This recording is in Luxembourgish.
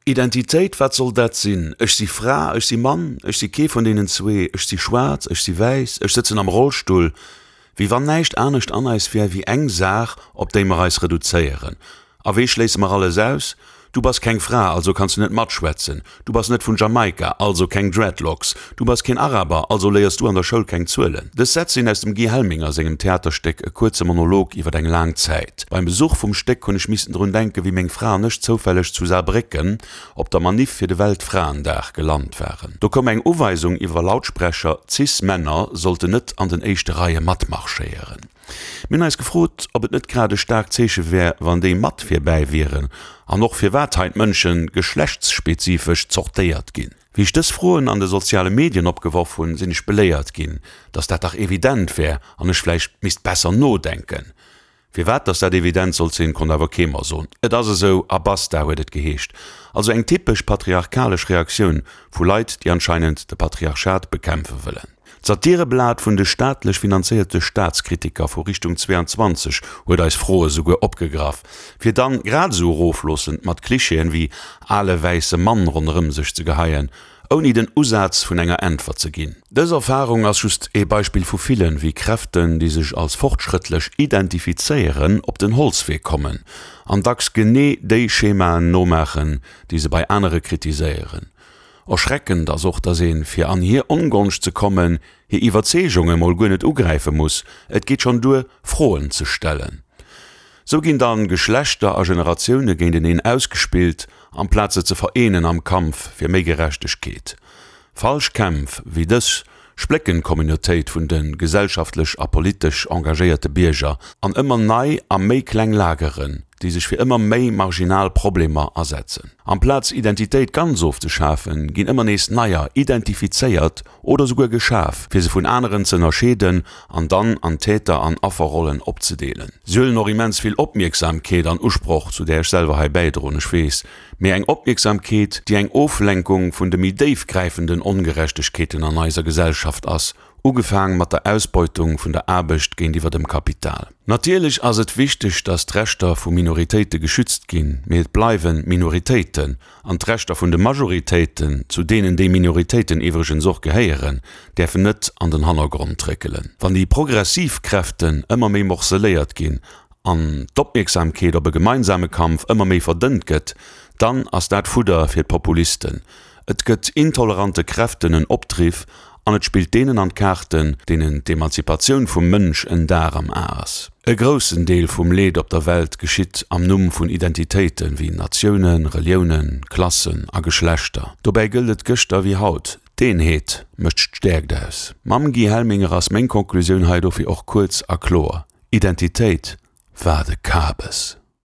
Identitéit, wat soll dat sinn? Ech si Fra, ech si Mann, ech si kee vun deenen zwee, ech si schwaarz, ech si wäiss, ech sëtzen am Rollstull. Wéi wann näischt anescht an eis wär wéi eng Saach, op déi mer eis reduzéieren. A wéi schléisse mer alles aus? Du bass keng Fra, also kanns du net matschwätzen. Du bass net vun Jamaika, also keng Dreadlocks. Du bass keen Araber, also léiers du an der Schoul keng Zuelen. Dës Sätz sinn aus dem Guy Helminger sengem Theaterstéck E kuerze Monolog iwwer eng laang Zäit. Beim Besuch vum Stéck hunn ech missten drun denken, wéi meng Fra an ech zoufälleg zu Saarbrécken op der Maniff fir de Weltfraendag gelant waren. Do koum eng Uweisung iwwer Lautsprecher, Cis-Männer sollten net an den éischte Reie matmarschéieren. Mir hunn eis gefrot, ob et net grad e staarkt Zeeche wär, wann déi mat virbäi wieren, an och firwat hei d'Mënsche geschlechtsspezifesch zortéiert ginn. Wéi ech dës Froen an de soziale Medien opgeworf hunn, sinn ech beléiert ginn, datt dat dach evident wär an ech vläicht misst besser nodenken. Firwat datt dat evident sollt sinn, konnt awer kee mer soen. Et ass esou a basta, huet et geheescht. Also eng typesch patriarchalesch Reaktioun vu Leit, déi anscheinend de Patriarchat bekämpfe wëllen. D'Satireblat vun de staatlech finanzéierte Staatskritiker vu Richtung 22 huet eis Froe souguer opgegraff, fir dann grad esou erofloossend mat Klischeeën wéi ale wäisse Mann ronderëm sech ze geheien, ouni den Usaz vun enger Äntwert ze ginn. Dës Erfarung ass just ee Beispill vu villen, wéi Kräften, déi sech als fortschrëttlech identifizéieren, op den Holzwee kommen an dacks genee déi Schemaen nomaachen, déi se bei anere kritiséieren. Erschreckend ass och, dass een, fir an hir Ongonscht ze kommen, hir Iwwerzeegunge mol guer net ugräife muss, et geet schonn duer, Froen ze stellen. Sou ginn dann Geschlechter a Generatioune géinteneen ausgespillt, amplaz se ze vereenen am Kampf fir méi Gerechtegkeet. Falsch Kämpf wéi dës splécken d'Communautéit vun de gesellschaftlech a politesch engagéierte Bierger an ëmmer nei a méi kleng Lageren, déi sech fir ëmmer méi marginal Problemer asetzen. Amplaz Identitéit ganz ofzeschafen, ginn ëmmer nees neier identifizéiert oder souguer geschaf, fir se vun aneren ze ënnerscheeden an dann an Täter an Afferrollen opzedeelen. Si huelen och immens vill Opmierksamkeet an Usproch, zu där ech selwer hei bäidroen, ech weess, mee eng Opmierksamkeet, déi eng Oflenkung vun de méi déifgräifenden Ongerechtegkeeten an eiser Gesellschaft ass, ugefaang mat der Ausbeutung vun der Aarbecht géintiwwer dem Kapital. Natierlech ass et wichteg, datt d'Rechter vu Minoritéite geschützt ginn, mee et bleiwe Minoritéiten, an d'Rechter vun de Majoritéiten, zu deenen déi Minoritéiten iwwregens och gehéieren, däerfen net an den Hannergrond réckelen. Wann déi progressiv Kräften ëmmer méi morceléiert ginn an d'Opmierksamkeet op e gemeinsame Kampf ëmmer méi verdënnt gëtt, dann ass dat Fudder fir d'Populisten. Et gëtt intolerante Kräften en Opdriff an et spillt deenen an d'Kaarten, deenen d'Emanzipatioun vum Mënsch en Dar am A ass. E groussen Deel vum Leed op der Welt geschitt am Numm vun Identitéiten, wéi Natiounen, Reliounen, Klassen a Geschlechter. Dobäi gëllt et gëschter wéi haut, D'Eenheet mécht d'Stäerkt aus. Mam Guy Helminger ass meng Konklusioun hei dofir och kuerz a kloer, Identitéit war de Kabes.